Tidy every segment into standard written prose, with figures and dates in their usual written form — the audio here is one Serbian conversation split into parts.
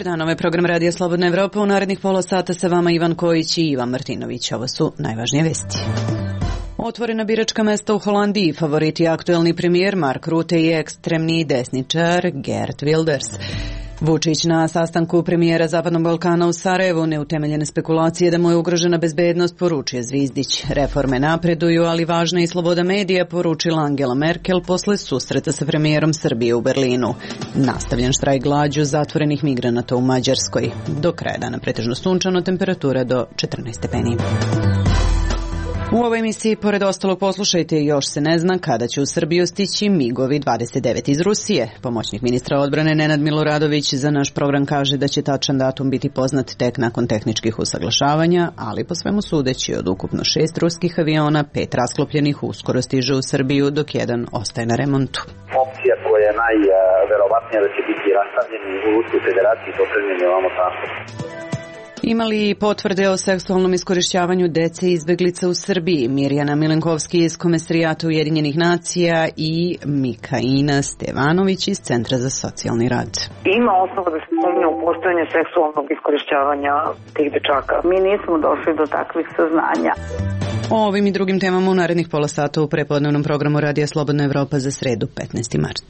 dan, ovo je program Radija Slobodna Evropa. U narednih pola sata sa vama Ivan Kojić i Ivan Martinović. Ovo su najvažnije vesti. Otvorena biračka mesta u Holandiji, favoriti aktuelni premijer Mark Rutte i ekstremni desničar Geert Wilders. Vučić na sastanku premijera Zapadnog Balkana u Sarajevu, neutemeljene spekulacije da mu je ugrožena bezbednost, poručio Zvizdić. Reforme napreduju, ali važna je i sloboda medija, poručila Angela Merkel posle susreta sa premijerom Srbije u Berlinu. Nastavljen štrajk glađu zatvorenih migranata u Mađarskoj. Do kraja dana pretežno sunčano, temperatura do 14 stepeni. U ovoj emisiji, pored ostalog, poslušajte, još se ne zna kada će u Srbiju stići MiG-ovi 29 iz Rusije. Pomoćnik ministra odbrane Nenad Miloradović za naš program kaže da će tačan datum biti poznat tek nakon tehničkih usaglašavanja, ali po svemu sudeći od ukupno 6 ruskih aviona, 5 rasklopljenih uskoro stiže u Srbiju, dok jedan ostaje na remontu. Opcija koja je najverovatnija da će biti rastavljeni u Ruskoj federaciji potrebni je ovamo transport. Imali potvrde o seksualnom iskorišćavanju dece i izbeglica u Srbiji? Mirjana Milenkovski iz Komesrijata Ujedinjenih nacija i Mikaina Stevanović iz Centra za socijalni rad. Ima osnova da se sumnja u postojanje seksualnog iskorišćavanja tih dečaka. Mi nismo došli do takvih saznanja. O ovim i drugim temama u narednih pola sata u prepodnevnom programu Radija Slobodna Evropa za sredu 15. mart.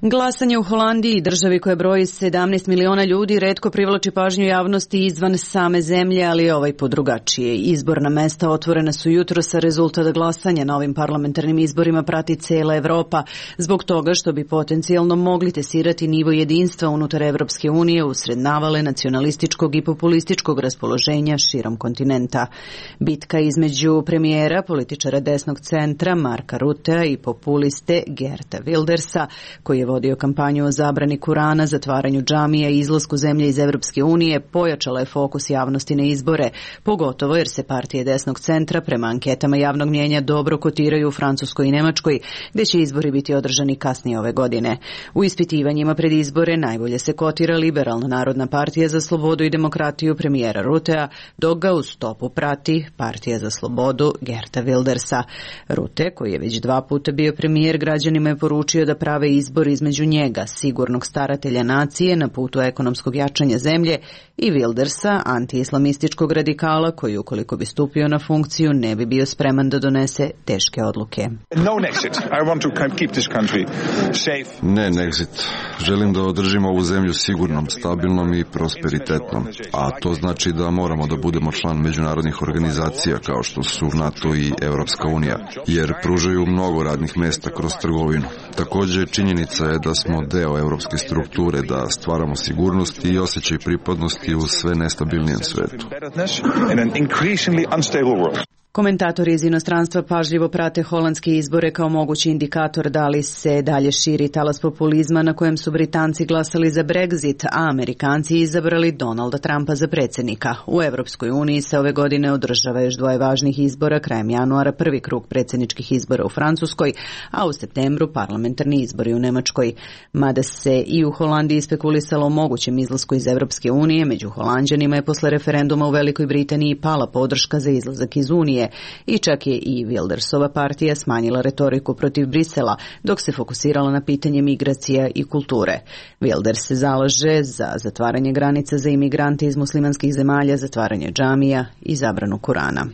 Glasanje u Holandiji, državi koja broji 17 miliona ljudi, retko privlači pažnju javnosti izvan same zemlje, ali ovaj put drugačije. Izborna mesta otvorena su jutros, a rezultat glasanja na ovim parlamentarnim izborima prati cela Evropa, zbog toga što bi potencijalno mogli testirati nivo jedinstva unutar Evropske unije usred navale nacionalističkog i populističkog raspoloženja širom kontinenta. Bitka između premijera, političara desnog centra Marka Ruttea i populiste Geerta Wildersa, koji je vodio kampanju o zabrani Kurana, zatvaranju džamija i izlasku zemlje iz Evropske unije, pojačala je fokus javnosti na izbore, pogotovo jer se partije desnog centra prema anketama javnog mnjenja dobro kotiraju u Francuskoj i Nemačkoj, gde će izbori biti održani kasnije ove godine. U ispitivanjima pred izbore najbolje se kotira Liberalna narodna partija za slobodu i demokratiju premijera Ruttea, dok ga u stopu prati Partija za slobodu Geerta Wildersa. Rutte, koji je već 2 puta bio premijer, građanima je poručio da prave izbor između njega, sigurnog staratelja nacije na putu ekonomskog jačanja zemlje, i Wildersa, anti-islamističkog radikala koji, ukoliko bi stupio na funkciju, ne bi bio spreman da donese teške odluke. Ne Nexit. Želim da održimo ovu zemlju sigurnom, stabilnom i prosperitetnom. A to znači da moramo da budemo član međunarodnih organizacija kao što su NATO i Evropska unija, jer pružaju mnogo radnih mesta kroz trgovinu. Takođe, činjenica je da smo deo evropske strukture, da stvaramo sigurnost i osjećaj pripadnosti u sve nestabilnijem svetu. Komentatori iz inostranstva pažljivo prate holandske izbore kao mogući indikator da li se dalje širi talas populizma na kojem su Britanci glasali za Brexit, a Amerikanci izabrali Donalda Trumpa za predsjednika. U Evropskoj uniji se ove godine održava još 2 važnih izbora, krajem januara prvi krug predsjedničkih izbora u Francuskoj, a u septembru parlamentarni izbori u Nemačkoj. Mada se i u Holandiji spekulisalo o mogućem izlasku iz Evropske unije, među Holanđanima je posle referenduma u Velikoj Britaniji pala podrška za izlazak iz Unije. I čak je i Wildersova partija smanjila retoriku protiv Brisela, dok se fokusirala na pitanje migracija i kulture. Wilders se zalaže za zatvaranje granica za imigrante iz muslimanskih zemalja, zatvaranje džamija i zabranu Kurana.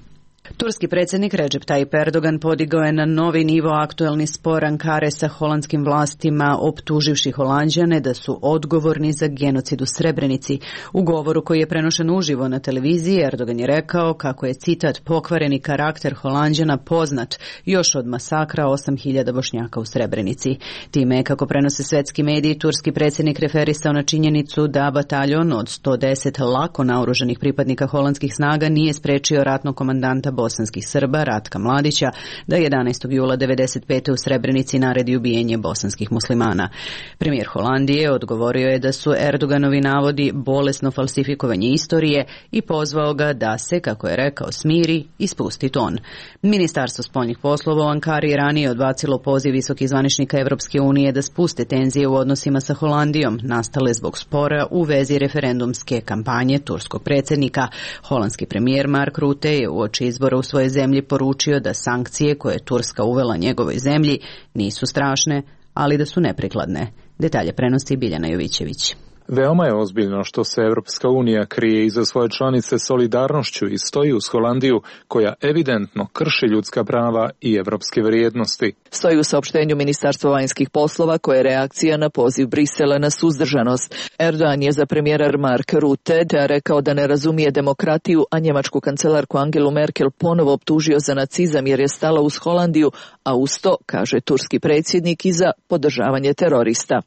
Turski predsjednik Recep Tayyip Erdogan podigao je na novi nivo aktuelni spor Ankare sa holandskim vlastima, optuživši Holanđane da su odgovorni za genocid u Srebrenici. U govoru koji je prenošen uživo na televiziji, Erdogan je rekao kako je, citat, pokvareni karakter Holanđana poznat još od masakra 8.000 Bošnjaka u Srebrenici. Time, kako prenose svetski mediji, turski predsjednik referisao na činjenicu da bataljon od 110 lako naoružanih pripadnika holandskih snaga nije sprečio ratnog komandanta bosanskih Srba Ratka Mladića da 11. jula 1995. u Srebrenici naredi ubijenje bosanskih muslimana. Premijer Holandije odgovorio je da su Erdoganovi navodi bolesno falsifikovanje istorije i pozvao ga da se, kako je rekao, smiri i spusti ton. Ministarstvo spoljnih poslova u Ankari je ranije odbacilo poziv visokih zvaničnika Evropske unije da spuste tenzije u odnosima sa Holandijom, nastale zbog spora u vezi referendumske kampanje turskog predsjednika. Holandski premijer Mark Rutte je uoči izbora u svojoj zemlji poručio da sankcije koje je Turska uvela njegovoj zemlji nisu strašne, ali da su neprikladne. Detalje prenosi Biljana Jovićević. Veoma je ozbiljno što se Evropska unija krije iza svoje članice solidarnošću i stoji uz Holandiju, koja evidentno krši ljudska prava i evropske vrijednosti. Stoji u saopštenju Ministarstva vanjskih poslova koje je reakcija na poziv Brisela na suzdržanost. Erdogan je za premijera Marka Rutte rekao da ne razumije demokratiju, a njemačku kancelarku Angelu Merkel ponovo optužio za nacizam jer je stala uz Holandiju, a uz to, kaže turski predsjednik, i za podržavanje terorista.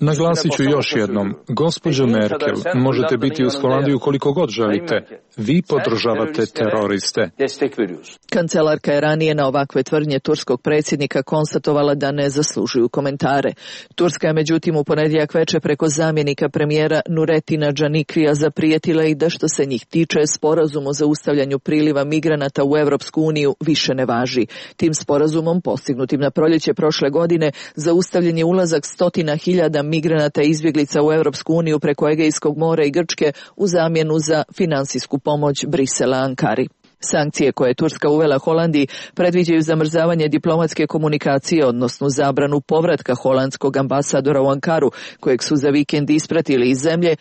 Naglasit ću još jednom, gospođo Merkel, možete biti uz Holandiju koliko god želite. Vi podržavate teroriste. Kancelarka je ranije na ovakve tvrdnje turskog predsjednika konstatovala da ne zaslužuju komentare. Turska je međutim u ponedjeljak večer preko zamjenika premijera Nuretina Džanikrija zaprijetila i da što se njih tiče sporazum o zaustavljanju priliva migranata u Evropsku uniju više ne važi. Tim sporazumom, postignutim na proljeće prošle godine, zaustavljen je ulazak 100.000 migranata i izbjeglica u Evropsku uniju preko Egejskog mora i Grčke u zamjenu za finansijsku pomoć Brisela Ankari. Sankcije koje je Turska uvela Holandiji predviđaju zamrzavanje diplomatske komunikacije, odnosno zabranu povratka holandskog ambasadora u Ankaru, kojeg su za vikend ispratili iz zemlje.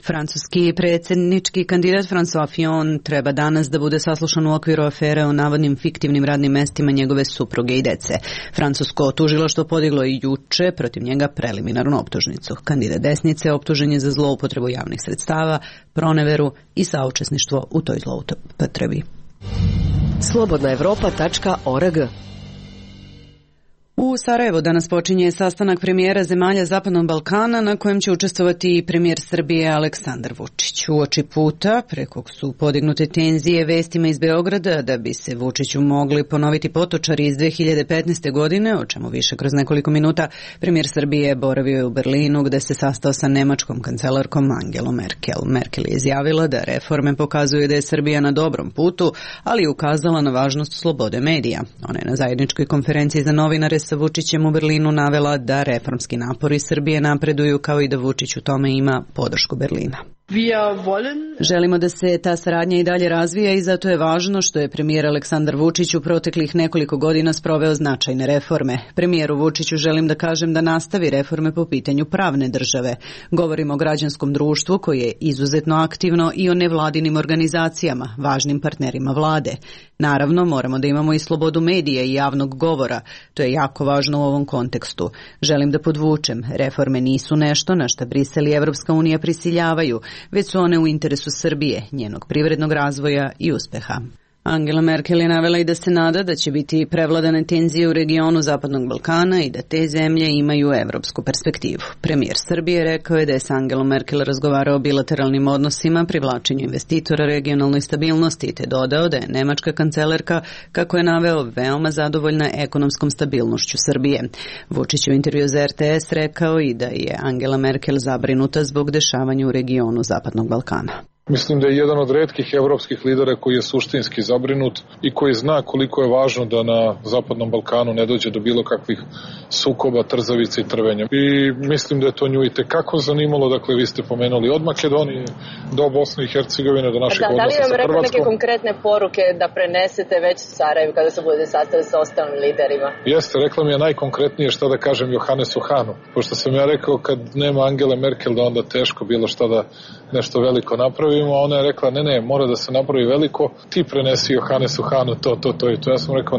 Francuski predsjednički kandidat François Fillon treba danas da bude saslušan u okviru afere o navodnim fiktivnim radnim mestima njegove supruge i dece. Francusko tužilaštvo podiglo i juče protiv njega preliminarnu optužnicu. Kandidat desnice optužen je za zloupotrebu javnih sredstava, proneveru i saučesništvo u toj zloupotrebi. Slobodnaevropa.org. U Sarajevu danas počinje sastanak premijera zemalja Zapadnog Balkana na kojem će učestvovati i premijer Srbije Aleksandar Vučić. Uoči puta, preko su podignute tenzije vestima iz Beograda da bi se Vučiću mogli ponoviti potočari iz 2015. godine, o čemu više kroz nekoliko minuta, premijer Srbije boravio je u Berlinu gde se sastao sa nemačkom kancelarkom Angelom Merkel. Merkel je izjavila da reforme pokazuju da je Srbija na dobrom putu, ali je ukazala na važnost slobode medija. Ona je na zajedničkoj konferenciji za novinare sa Vučićem u Berlinu navela da reformski napori Srbije napreduju kao i da Vučić u tome ima podršku Berlina. Želimo da se ta saradnja i dalje razvija i zato je važno što je premijer Aleksandar Vučić u proteklih nekoliko godina sproveo značajne reforme. Premijeru Vučiću želim da kažem da nastavi reforme po pitanju pravne države. Govorimo o građanskom društvu koje je izuzetno aktivno i o nevladinim organizacijama, važnim partnerima vlade. Naravno, moramo da imamo i slobodu medija i javnog govora. To je jako važno u ovom kontekstu. Želim da podvučem, reforme nisu nešto na šta Brisel i Evropska unija prisiljavaju, već su one u interesu Srbije, njenog privrednog razvoja i uspeha. Angela Merkel je navela i da se nada da će biti prevladane tenzije u regionu Zapadnog Balkana i da te zemlje imaju evropsku perspektivu. Premijer Srbije rekao je da je s Angelom Merkel razgovarao o bilateralnim odnosima, privlačenju investitora, regionalnoj stabilnosti, te dodao da je nemačka kancelarka, kako je naveo, veoma zadovoljna ekonomskom stabilnošću Srbije. Vučić u intervju za RTS rekao i da je Angela Merkel zabrinuta zbog dešavanja u regionu Zapadnog Balkana. Mislim da je jedan od retkih evropskih lidera koji je suštinski zabrinut i koji zna koliko je važno da na Zapadnom Balkanu ne dođe do bilo kakvih sukoba, trzavica i trvenja. I mislim da je to nju i tekako zanimalo, dakle vi ste pomenuli od Makedonije do Bosne i Hercegovine, do naših odnosa sa Hrvatskom. Da li vam rekao neke konkretne poruke da prenesete već u Sarajevu kada se bude sastaviti sa ostalim liderima? Jeste, rekla mi je najkonkretnije šta da kažem Johannesu Hahnu, pošto sam ja rekao kad nema Angele Merkel da onda teško bilo šta da nešto veliko napravimo, a ona je rekla ne, mora da se napravi veliko, ti prenesi Johannesu Hahnu to i to. Ja sam rekao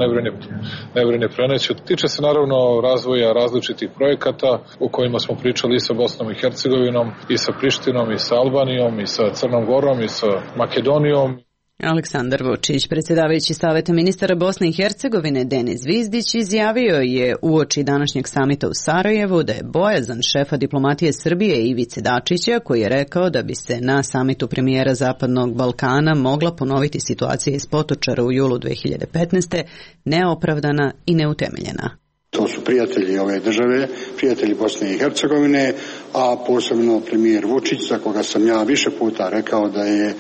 ne brini preneću. Tiče se naravno razvoja različitih projekata o kojima smo pričali i sa Bosnom i Hercegovinom, i sa Prištinom, i sa Albanijom, i sa Crnom Gorom, i sa Makedonijom. Aleksandar Vučić, predsjedavajući Saveta ministara Bosne i Hercegovine Denis Zvizdić, izjavio je uoči današnjeg samita u Sarajevu da je bojazan šefa diplomatije Srbije Ivice Dačića, koji je rekao da bi se na samitu premijera Zapadnog Balkana mogla ponoviti situacija iz Potočara u julu 2015. neopravdana i neutemeljena. To su prijatelji ove države, prijatelji Bosne i Hercegovine, a posebno premijer Vučić, za koga sam ja više puta rekao da je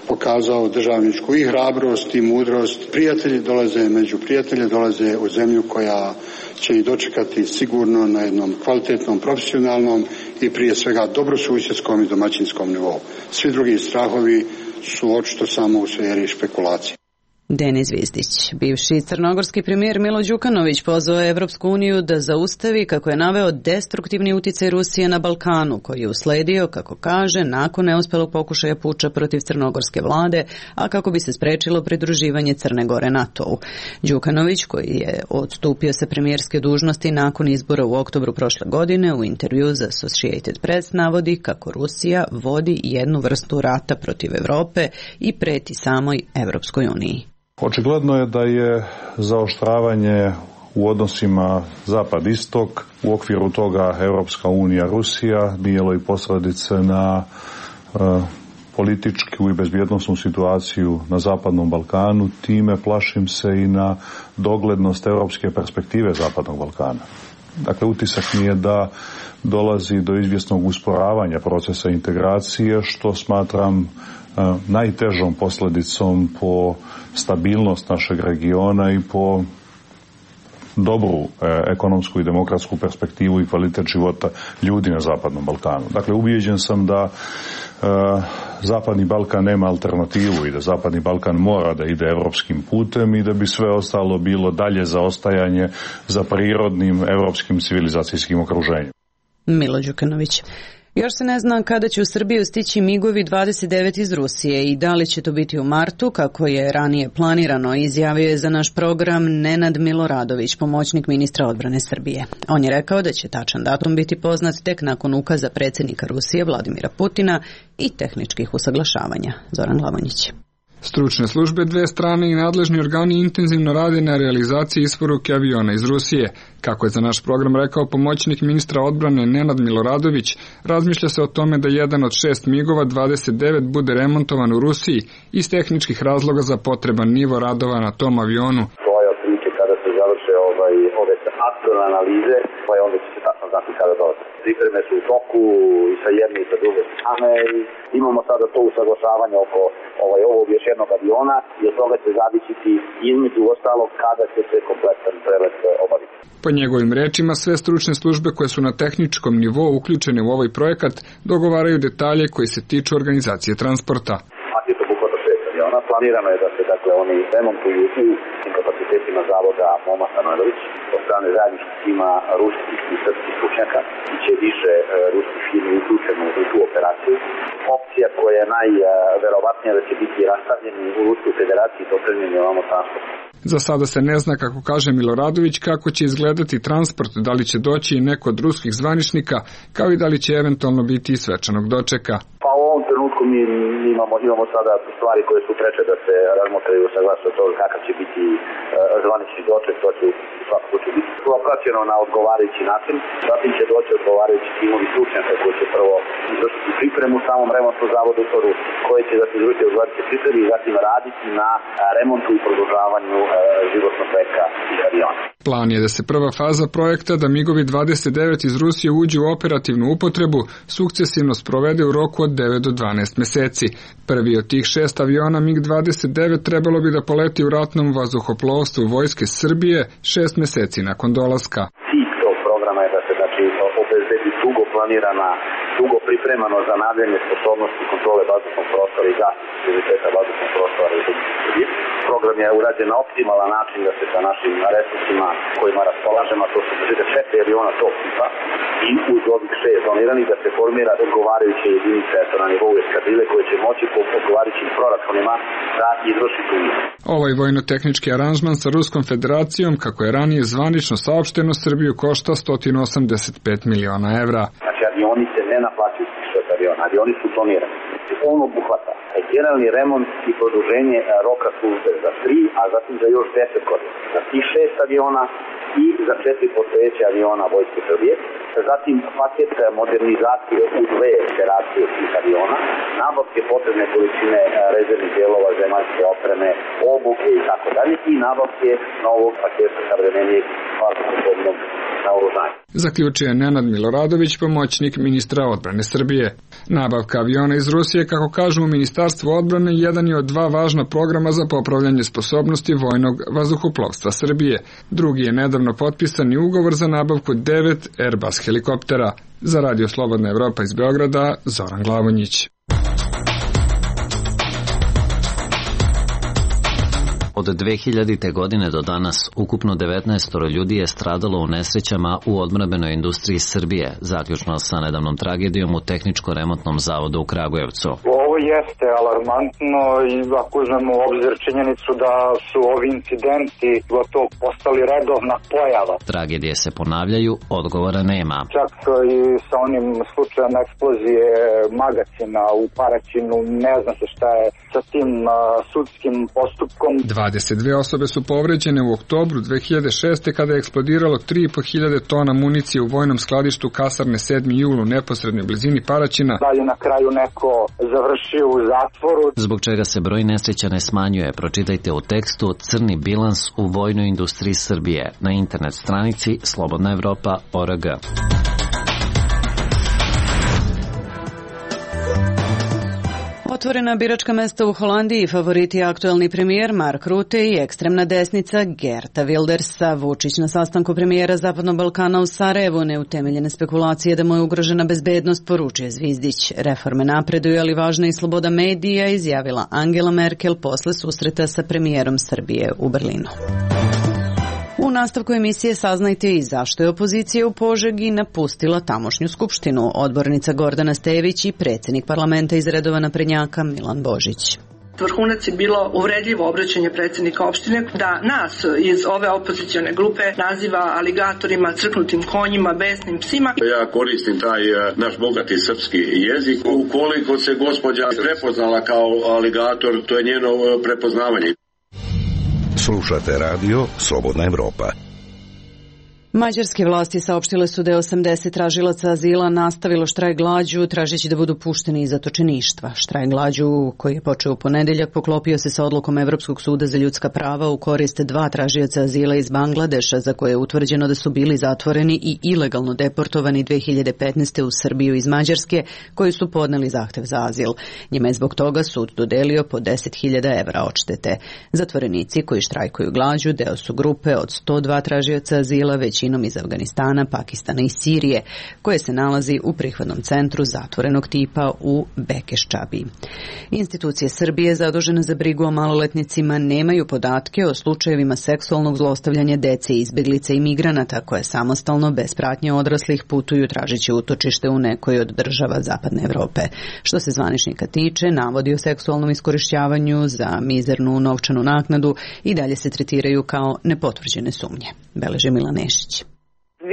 pokazao državničku i hrabrost i mudrost. Prijatelji dolaze među prijatelje, dolaze u zemlju koja će ih dočekati sigurno na jednom kvalitetnom, profesionalnom i prije svega dobrosusjedskom i domaćinskom nivou. Svi drugi strahovi su očito samo u sferi špekulacije. Denis Zvizdić. Bivši crnogorski premijer Milo Đukanović pozvao je Evropsku uniju da zaustavi, kako je naveo, destruktivni uticaj Rusije na Balkanu, koji je usledio, kako kaže, nakon neuspelog pokušaja puča protiv crnogorske vlade, a kako bi se sprečilo pridruživanje Crne Gore NATO-u. Đukanović, koji je odstupio sa premijerske dužnosti nakon izbora u oktobru prošle godine, u intervju za Associated Press navodi kako Rusija vodi jednu vrstu rata protiv Evrope i preti samoj Evropskoj uniji. Očigledno je da je zaoštravanje u odnosima zapad-istok, u okviru toga Europska unija, Rusija, bijelo i posljedice na političku i bezbjednosnu situaciju na Zapadnom Balkanu, time plašim se i na doglednost europske perspektive Zapadnog Balkana. Dakle, utisak mi je da dolazi do izvjesnog usporavanja procesa integracije, što smatram najtežom posljedicom po stabilnost našeg regiona i po dobru ekonomsku i demokratsku perspektivu i kvalitet života ljudi na Zapadnom Balkanu. Dakle, ubijeđen sam da Zapadni Balkan nema alternativu i da Zapadni Balkan mora da ide evropskim putem i da bi sve ostalo bilo dalje zaostajanje za prirodnim evropskim civilizacijskim okruženjem. Milo Đukanović. Još se ne zna kada će u Srbiju stići MIG-ovi 29 iz Rusije i da li će to biti u martu, kako je ranije planirano, izjavio je za naš program Nenad Miloradović, pomoćnik ministra odbrane Srbije. On je rekao da će tačan datum biti poznat tek nakon ukaza predsjednika Rusije Vladimira Putina i tehničkih usaglašavanja. Zoran Glavonjić. Stručne službe dve strane i nadležni organi intenzivno rade na realizaciji isporuke aviona iz Rusije. Kako je za naš program rekao pomoćnik ministra odbrane Nenad Miloradović, razmišlja se o tome da jedan od 6 MIG-ova 29 bude remontovan u Rusiji iz tehničkih razloga za potreban nivo radova na tom avionu. To je otprilike kada se završe ove aktualne analize, pa onda će se tačno znati kada dolaze. Pripreme su u toku i sa jedne i sa druge strane i imamo sada to usaglašavanje oko ovog još jednog aviona i od toga će zavisiti između ostalog kada će se kompletan prelet obaviti. Po njegovim rečima, sve stručne službe koje su na tehničkom nivou uključene u ovaj projekat dogovaraju detalje koji se tiču organizacije transporta. Paket obuhvata 6 aviona. Planirano je da se oni remontuju u kapacitetima zavoda Moma Stanojević od strane zajedničkog tima ruskih i srpskih stručnjaka i će više ruskih firmi uključeno u tu operaciju. Opcija koja je najverovatnija da će biti rastavljeni u Ruskoj federaciji to trenjenje ovamo transporta. Za sada se ne zna, kako kaže Miloradović, kako će izgledati transport, da li će doći i neko od ruskih zvaničnika, kao i da li će eventualno biti i svečanog dočeka. Pa u ovom trenutku mi imamo sada stvari koje su preče da se razmotraju sa glasa toga kakav će biti zvanični doček, to će svakako će biti propraćeno na odgovarajući način, zatim će doći odgovarajući timovi stručnjaka koji će prvo izvršiti pripremu u samom remontnom zavodu u Rusiji, koji će da se izvršiti odgovarajući pripremi i zatim raditi na remontu i produžavanju životnog veka tih aviona. Plan je da se prva faza projekta, da MIG-ovi 29 iz Rusije uđu u operativnu upotrebu, sukcesivno sprovede u roku od 9 do 12 meseci. Prvi od tih 6 aviona MiG-29 trebalo bi da poleti u ratnom vazduhoplovstvu Vojske Srbije 6 meseci nakon dolaska. Cilj tog programa je da se obezbedi dugo planirana, dugo pripremano za nadljanje sposobnosti kontrole vazdušnog prostora i zaštite prioriteta vazdušnog prostora u Srbiji. Program je urađen na optimalan način da se sa našim resursima kojima raspolažemo, to su 4 aviona tog tipa i uz ovih 6 doniranih da se formira odgovarajuće jedinice na nivou eskadrile koje će moći po odgovarajućim proračunima da izvrši tu misiju. Ovaj vojno-tehnički aranžman sa Ruskom federacijom, kako je ranije zvanično saopšteno, Srbiju košta 185 miliona evra. Znači avioni se ne naplaćuju s aviona, avioni su donirani. On obuhvata generalni remont i produženje roka službe za 3, a zatim za još 10 godina. Za tih 6 aviona i za 4 postojeće aviona Vojske Srbije. Zatim paket modernizacije u 2 iteracije tih aviona, nabavke potrebne količine rezervnih dijelova, zemaljske opreme, obuke i tako dalje i nabavke novog paketa savremenijeg vazduhoplovnog naoružanja. Zaključuje Nenad Miloradović, pomoćnik ministra odbrane Srbije. Nabavka aviona iz Rusije, kako kažu u Ministarstvu odbrane, jedan je od 2 važna programa za popravljanje sposobnosti vojnog vazduhoplovstva Srbije. Drugi je nedavno potpisani ugovor za nabavku 9 Airbus helikoptera. Za Radio Slobodna Evropa iz Beograda, Zoran Glavonjić. Od 2000. godine do danas ukupno 19 ljudi je stradalo u nesrećama u odbrambenoj industriji Srbije, zaključno sa nedavnom tragedijom u Tehničko-remontnom zavodu u Kragujevcu. Ovo jeste alarmantno i ako uzmemo u obzir činjenicu da su ovi incidenti gotovo postali redovna pojava. Tragedije se ponavljaju, odgovora nema. Čak i sa onim slučajem eksplozije magacina u Paraćinu, ne zna se šta je sa tim sudskim postupkom. 22 osobe su povređene u oktobru 2006. kada je eksplodiralo 3.500 tona municije u vojnom skladištu kasarne 7. jul u neposrednoj blizini Paraćina. Dalje na kraju neko završio u zatvoru. Zbog čega se broj nesreća ne smanjuje, pročitajte u tekstu Crni bilans u vojnoj industriji Srbije na internet stranici slobodnaevropa.org. Otvorena biračka mesta u Holandiji, favoriti aktuelni premijer Mark Rutte i ekstremna desnica Geerta Wildersa. Vučić na sastanku premijera Zapadnog Balkana u Sarajevu, neutemeljene spekulacije da mu je ugrožena bezbednost, poručuje Zvizdić. Reforme napreduju, ali važna i sloboda medija, izjavila Angela Merkel posle susreta sa premijerom Srbije u Berlinu. U nastavku emisije saznajte i zašto je opozicija u Požegi napustila tamošnju skupštinu. Odbornica Gordana Stejević i predsjednik parlamenta iz redova naprednjaka Milan Božić. Vrhunac je bilo uvredljivo obraćanje predsjednika opštine da nas iz ove opozicione grupe naziva aligatorima, crknutim konjima, besnim psima. Ja koristim taj naš bogati srpski jezik. Ukoliko se gospođa prepoznala kao aligator, to je njeno prepoznavanje. Slušate radio Slobodna Evropa. Mađarske vlasti saopštile su da je 80 tražilaca azila nastavilo štrajk glađu, tražeći da budu pušteni iz zatočeništva. Štrajk glađu, koji je počeo u ponedeljak, poklopio se sa odlukom Evropskog suda za ljudska prava u korist 2 tražioca azila iz Bangladeša, za koje je utvrđeno da su bili zatvoreni i ilegalno deportovani 2015. u Srbiju iz Mađarske, koji su podneli zahtev za azil. Njima je zbog toga sud dodelio po 10.000 evra odštete. Zatvorenici koji štrajkuju glađu deo su grupe od 102 tražioca azila, većinom iz Afganistana, Pakistana i Sirije, koje se nalazi u prihvatnom centru zatvorenog tipa u Bekeščabi. Institucije Srbije zadužene za brigu o maloletnicima nemaju podatke o slučajevima seksualnog zlostavljanja dece, izbeglica i migranata koje samostalno, bez pratnje odraslih, putuju tražeći utočište u nekoj od država Zapadne Evrope. Što se zvaničnika tiče, navodi o seksualnom iskorišćavanju za mizernu novčanu naknadu i dalje se tretiraju kao nepotvrđene sumnje, beleži Milan Nešić.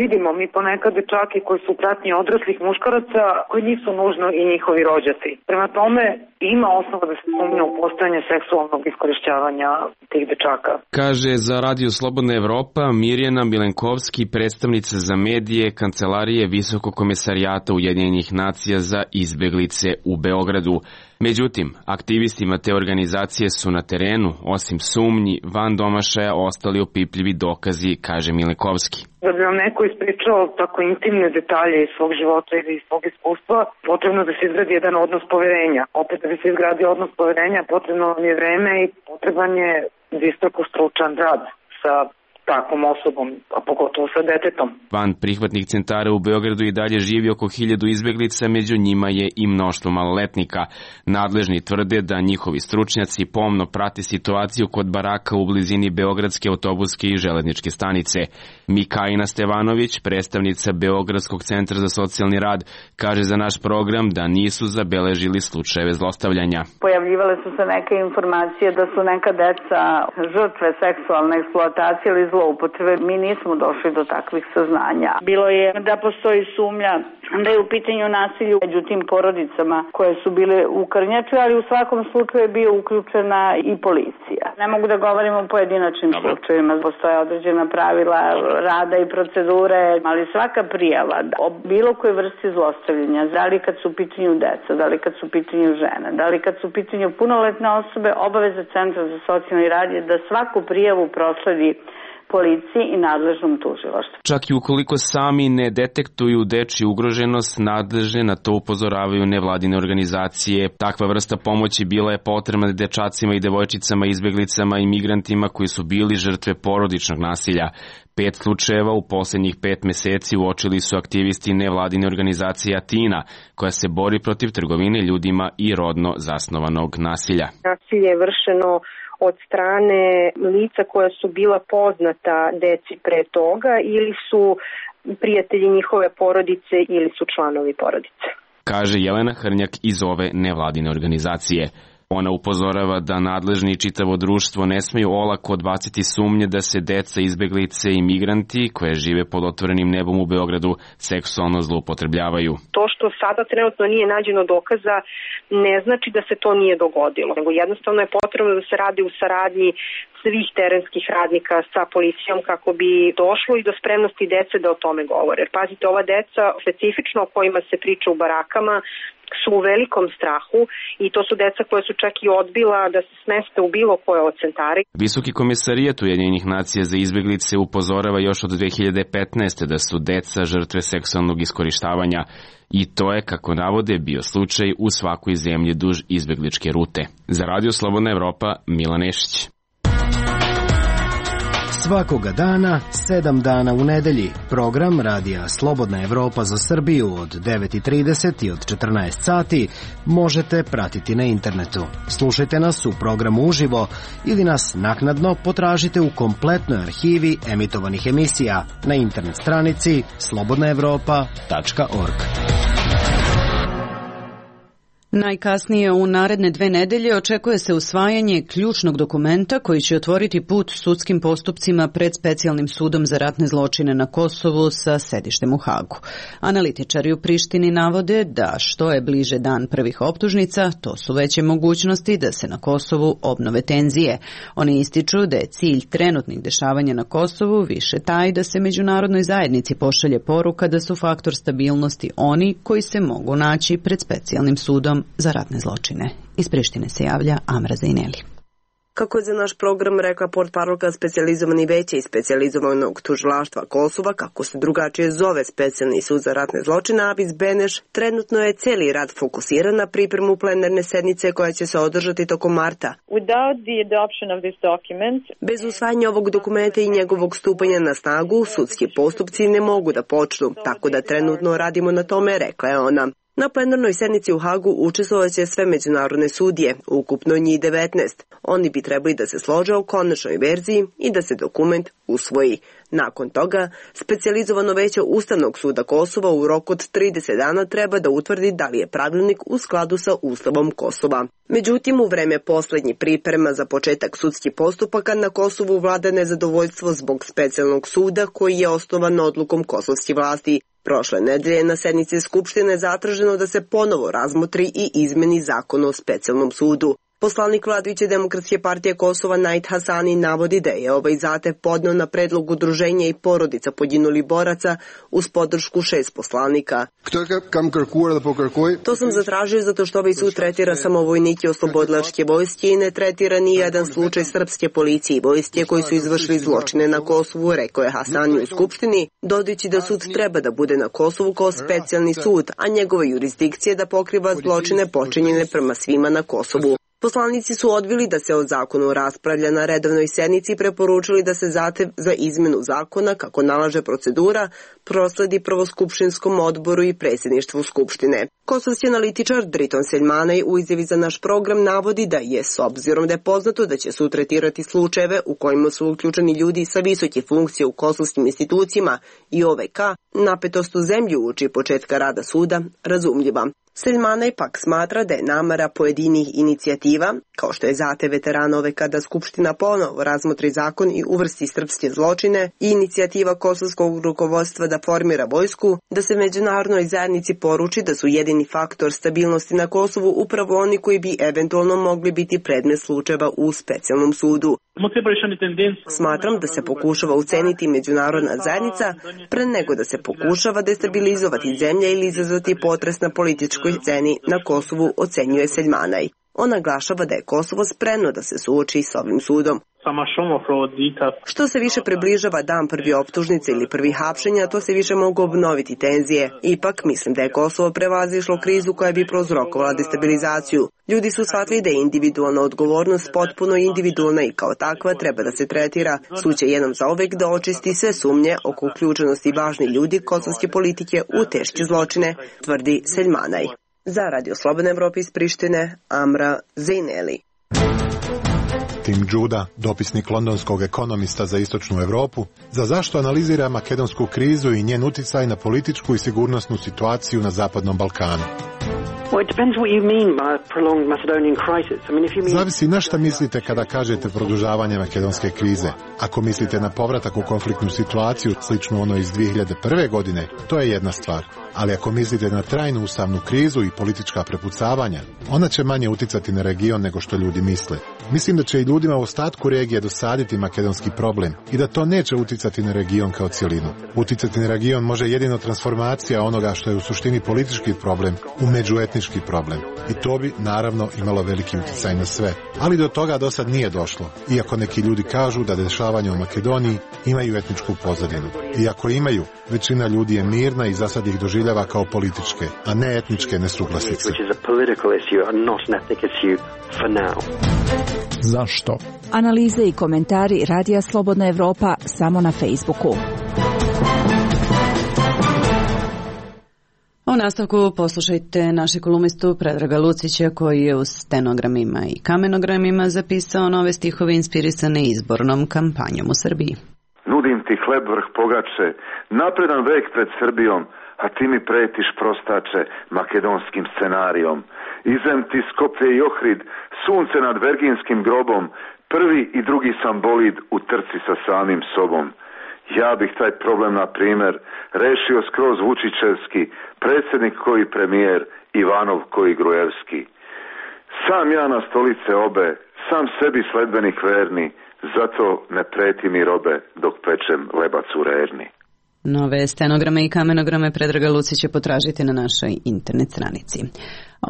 Vidimo mi ponekad dečaki koji su u pratnji odraslih muškaraca koji nisu nužno i njihovi rođaci. Prema tome ima osnova da se sumnja u postojanje seksualnog iskorišćavanja tih dečaka. Kaže za Radio Slobodna Evropa Mirjana Milenkovski, predstavnica za medije Kancelarije Visokog komesarijata Ujedinjenih nacija za izbeglice u Beogradu. Međutim, aktivistima te organizacije su na terenu, osim sumnji, van domašaja ostali opipljivi dokazi, kaže Milenkovski. Da bi vam neko ispričao tako intimne detalje iz svog života ili iz svog iskustva, potrebno da se izgradi jedan odnos poverenja. Opet da bi se izgradio odnos poverenja, potrebno vam je vreme i potreban je visoko stručan rad sa takvom osobom, a pogotovo sa detetom. Van prihvatnih centara u Beogradu i dalje živi oko 1000 izbeglica, među njima je i mnoštvo maloletnika. Nadležni tvrde da njihovi stručnjaci pomno prate situaciju kod baraka u blizini Beogradske autobuske i železničke stanice. Mikajna Stevanović, predstavnica Beogradskog centra za socijalni rad, kaže za naš program da nisu zabeležili slučajeve zlostavljanja. Pojavljivale su se neke informacije da su neka deca žrtve seksualne eksploatacije ili zloupotrebe. Mi nismo došli do takvih saznanja. Bilo je da postoji sumnja da je u pitanju nasilju među tim porodicama koje su bile u Krnjači, ali u svakom slučaju je bio uključena i policija. Ne mogu da govorim o pojedinačnim slučajevima. Postoje određena pravila rada i procedure, ali svaka prijava o bilo koje vrsti zlostavljanja, da li kad su u pitanju deca, da li kad su u pitanju žene, da li kad su u pitanju punoletne osobe, obaveza Centra za socijalni rad je da svaku prijavu prosledi policiji i nadležnom tužilaštvu. Čak i ukoliko sami ne detektuju dečju ugroženost, nadležne na to upozoravaju nevladine organizacije. Takva vrsta pomoći bila je potrebna dečacima i devojčicama, izbeglicama i migrantima koji su bili žrtve porodičnog nasilja. 5 slučajeva u posljednjih 5 meseci uočili su aktivisti nevladine organizacije Atina, koja se bori protiv trgovine ljudima i rodno zasnovanog nasilja. Nasilje je vršeno od strane lica koja su bila poznata deci pre toga ili su prijatelji njihove porodice ili su članovi porodice. Kaže Jelena Hrnjak iz ove nevladine organizacije. Ona upozorava da nadležni i čitavo društvo ne smeju olako odbaciti sumnje da se deca, izbeglice i migranti koje žive pod otvorenim nebom u Beogradu seksualno zloupotrebljavaju. To što sada trenutno nije nađeno dokaza ne znači da se to nije dogodilo, nego jednostavno je potrebno da se radi u saradnji svih terenskih radnika sa policijom kako bi došlo i do spremnosti dece da o tome govore. Jer pazite, ova deca specifično o kojima se priča u barakama su u velikom strahu i to su deca koje su čak i odbila da se smeste u bilo koje od centara. Visoki komisarijat Ujedinjenih nacija za izbeglice upozorava još od 2015. da su deca žrtve seksualnog iskorištavanja i to je, kako navode, bio slučaj u svakoj zemlji duž izbegličke rute. Za Radio Slobodna Evropa, Milan Nešić. Svakoga dana, 7 dana u nedelji, program Radija Slobodna Evropa za Srbiju od 9:30 i od 14 sati možete pratiti na internetu. Slušajte nas u programu uživo ili nas naknadno potražite u kompletnoj arhivi emitovanih emisija na internet stranici slobodnaevropa.org. Najkasnije u naredne 2 nedelje očekuje se usvajanje ključnog dokumenta koji će otvoriti put sudskim postupcima pred Specijalnim sudom za ratne zločine na Kosovu sa sedištem u Hagu. Analitičari u Prištini navode da što je bliže dan prvih optužnica, to su veće mogućnosti da se na Kosovu obnove tenzije. Oni ističu da je cilj trenutnih dešavanja na Kosovu više taj da se međunarodnoj zajednici pošalje poruka da su faktor stabilnosti oni koji se mogu naći pred Specijalnim sudom za ratne zločine. Iz Prištine se javlja Amra Zajneli. Kako je za naš program rekla portparolka specijalizovani veće i specijalizovanog tužilaštva Kosova, kako se drugačije zove Specijalni sud za ratne zločine, Avis Beneš, trenutno je cijeli rad fokusiran na pripremu plenarne sednice koja će se održati tokom marta. Bez usvajanja ovog dokumenta i njegovog stupanja na snagu, sudski postupci ne mogu da počnu, tako da trenutno radimo na tome, rekla je ona. Na plenarnoj sednici u Hagu učestvovaće sve međunarodne sudije, ukupno njih 19. Oni bi trebali da se slože o konačnoj verziji i da se dokument usvoji. Nakon toga, specijalizovano veće Ustavnog suda Kosova u roku od 30 dana treba da utvrdi da li je pravilnik u skladu sa Ustavom Kosova. Međutim, u vreme poslednjih priprema za početak sudskih postupaka na Kosovu vlada nezadovoljstvo zbog specijalnog suda koji je osnovan odlukom kosovskih vlasti. Prošle nedelje na sednici Skupštine zatraženo da se ponovo razmotri i izmeni zakon o specijalnom sudu. Poslanik vladajuće Demokratske partije Kosova Najt Hasani navodi da je ovaj zahtev podneo na predlog udruženja i porodica poginulih boraca uz podršku 6 poslanika. To sam zatražio zato što ovaj sud tretira samo vojnike oslobodilačke vojske i ne tretira ni jedan slučaj srpske policije i vojske koji su izvršili zločine na Kosovu, rekao je Hasani u Skupštini, dodajući da sud treba da bude na Kosovu kao specijalni sud, a njegova jurisdikcija da pokriva zločine počinjene prema svima na Kosovu. Poslanici su odbili da se o zakonu raspravlja na redovnoj sednici i preporučili da se zahtev za izmenu zakona, kako nalaže procedura, prosledi prvoskupštinskom odboru i predsjedništvu Skupštine. Kosovski analitičar Driton Seljmanaj u izjavi za naš program navodi da je, s obzirom da je poznato da će sud tretirati slučajeve u kojima su uključeni ljudi sa visoke funkcije u kosovskim institucijama i OVK, napetost u zemlji uoči početka rada suda razumljiva. Seljmanaj pak smatra da je namera pojedinih inicijativa, kao što je zahtev veterana OVK da Skupština ponovo razmotri zakon i uvrsti srpske zločine i inicijativa kosovskog rukovodstva da formira vojsku, da se međunarodnoj zajednici poruči da su jedini faktor stabilnosti na Kosovu upravo oni koji bi eventualno mogli biti predmet slučajeva u specijalnom sudu. Smatram da se pokušava uceniti međunarodna zajednica pre nego da se pokušava destabilizovati zemlja ili izazvati potres na političkoj sceni na Kosovu, ocenjuje Seljmanaj. On naglašava da je Kosovo spremno da se suoči s ovim sudom. Što se više približava dan prvi optužnice ili prvi hapšenja, to se više mogu obnoviti tenzije. Ipak, mislim da je Kosovo prevazišlo krizu koja bi prouzrokovala destabilizaciju. Ljudi su shvatili da je individualna odgovornost potpuno individualna i kao takva treba da se tretira. Sud će jednom zauvek da očisti sve sumnje oko uključenosti važnih ljudi kosovske politike u teške zločine, tvrdi Seljmanaj. Za Radio Slobodna Evropa iz Prištine, Amra Zajneli. Tim Đuda, dopisnik londonskog ekonomista za istočnu Evropu, za zašto analizira makedonsku krizu i njen uticaj na političku i sigurnosnu situaciju na Zapadnom Balkanu. Zavisi na šta mislite kada kažete produžavanje makedonske krize. Ako mislite na povratak u konfliktnu situaciju sličnu onoj iz 2001. godine, to je jedna stvar. Ali ako mislite na trajnu ustavnu krizu i politička prepucavanja, ona će manje uticati na region nego što ljudi misle. Mislim da će i ljudima u ostatku regije dosaditi makedonski problem i da to neće uticati na region kao cjelinu. Uticati na region može jedino transformacija onoga što je u suštini politički problem u međuetnički problem. I to bi, naravno, imalo veliki uticaj na sve. Ali do toga do sad nije došlo, iako neki ljudi kažu da dešavanja u Makedoniji imaju etničku pozadinu. Iako imaju, većina ljudi je mirna i za sad ih doživljava kao političke, a ne etničke nesuglasice. Zašto? Analize i komentari Radija Slobodna Evropa samo na Facebooku. U nastavku poslušajte naše kolumnistu Predraga Lucića koji je u stenogramima i kamenogramima zapisao nove stihove inspirisane izbornom kampanjom u Srbiji. Nudim ti hleb vrh pogače, napredan vek pred Srbijom, a ti mi pretiš prostače makedonskim scenarijom. Izem ti Skoplje i Ohrid, sunce nad Verginskim grobom, prvi i drugi sam bolid u trci sa samim sobom. Ja bih taj problem, na primjer, rešio skroz Vučićevski, predsjednik koji premijer, Ivanov koji Grujevski. Sam ja na stolice obe, sam sebi sledbenik verni, zato ne preti mi robe dok pečem lebac u rerni. Nove stenograme i kamenograme Predraga Lucića potražite na našoj internet stranici.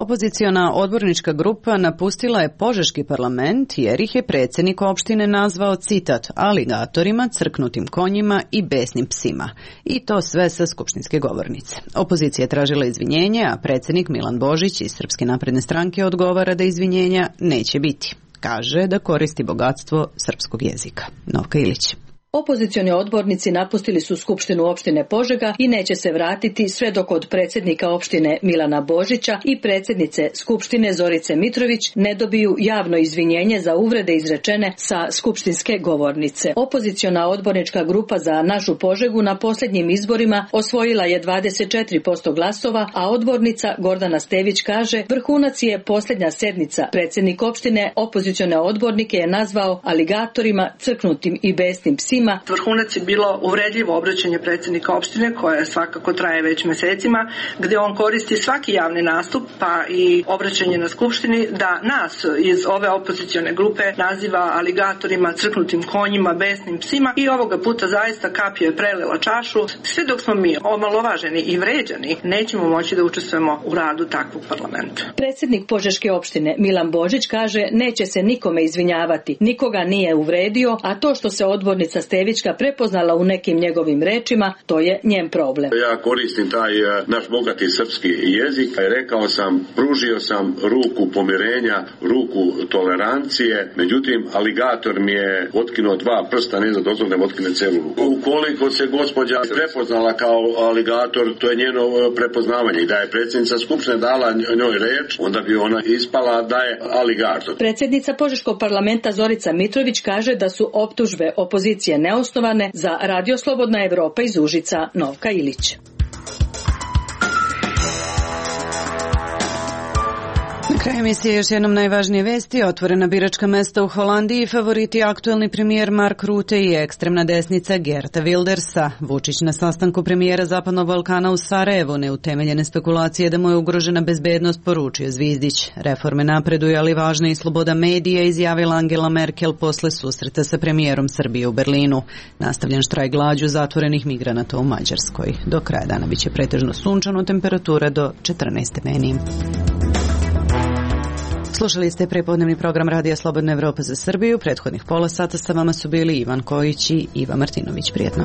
Opoziciona odbornička grupa napustila je Požeški parlament jer ih je predsjednik opštine nazvao, citat, aligatorima, crknutim konjima i besnim psima. I to sve sa skupštinske govornice. Opozicija je tražila izvinjenje, a predsjednik Milan Božić iz Srpske napredne stranke odgovara da izvinjenja neće biti. Kaže da koristi bogatstvo srpskog jezika. Novka Ilić. Opozicioni odbornici napustili su Skupštinu opštine Požega i neće se vratiti sve dok od predsjednika opštine Milana Božića i predsjednice Skupštine Zorice Mitrović ne dobiju javno izvinjenje za uvrede izrečene sa skupštinske govornice. Opoziciona odbornička grupa za našu Požegu na posljednjim izborima osvojila je 24% glasova, a odbornica Gordana Stević kaže vrhunac je posljednja sednica. Predsjednik opštine opozicione odbornike je nazvao aligatorima, crknutim i besnim psima. Vrhunac je bilo uvredljivo obraćanje predsjednika opštine koje svakako traje već mesecima, gdje on koristi svaki javni nastup pa i obraćanje na skupštini da nas iz ove opozicione grupe naziva aligatorima, crknutim konjima, besnim psima i ovoga puta zaista kapio je prelila čašu. Sve dok smo mi omalovaženi i vređani, nećemo moći da učestvujemo u radu takvog parlamenta. Predsjednik Požeške opštine Milan Božić kaže neće se nikome izvinjavati, nikoga nije uvredio, a to što se odbornica Stevićka prepoznala u nekim njegovim rečima, to je njen problem. Ja koristim taj naš bogati srpski jezik i rekao sam, pružio sam ruku pomirenja, ruku tolerancije, međutim aligator mi je otkinuo dva prsta, ne za dozvoljem otkine celu ruku. Ukoliko se gospođa prepoznala kao aligator, to je njeno prepoznavanje i da je predsjednica Skupštine dala njoj reč, onda bi ona ispala da je aligator. Predsjednica Požeškog parlamenta Zorica Mitrović kaže da su optužbe opozicije neosnovane. Za Radio Slobodna Evropa iz Užica, Novka Ilić. Na kraju emisije još jednom najvažnije vesti. Otvorena biračka mesta u Holandiji, favoriti aktuelni premijer Mark Rutte i ekstremna desnica Geerta Wildersa. Vučić na sastanku premijera Zapadnog Balkana u Sarajevu, neutemeljene spekulacije da mu je ugrožena bezbednost, poručio Zvizdić. Reforme napreduju, ali važna i sloboda medija, izjavila Angela Merkel posle susreta sa premijerom Srbije u Berlinu. Nastavljen štrajk glađu zatvorenih migranata u Mađarskoj. Do kraja dana biće pretežno sunčano, temperatura do 14 stepeni. Slušali ste prepodnevni program Radija Slobodna Evropa za Srbiju. Prethodnih pola sata sa vama su bili Ivan Kojić i Iva Martinović. Prijetno.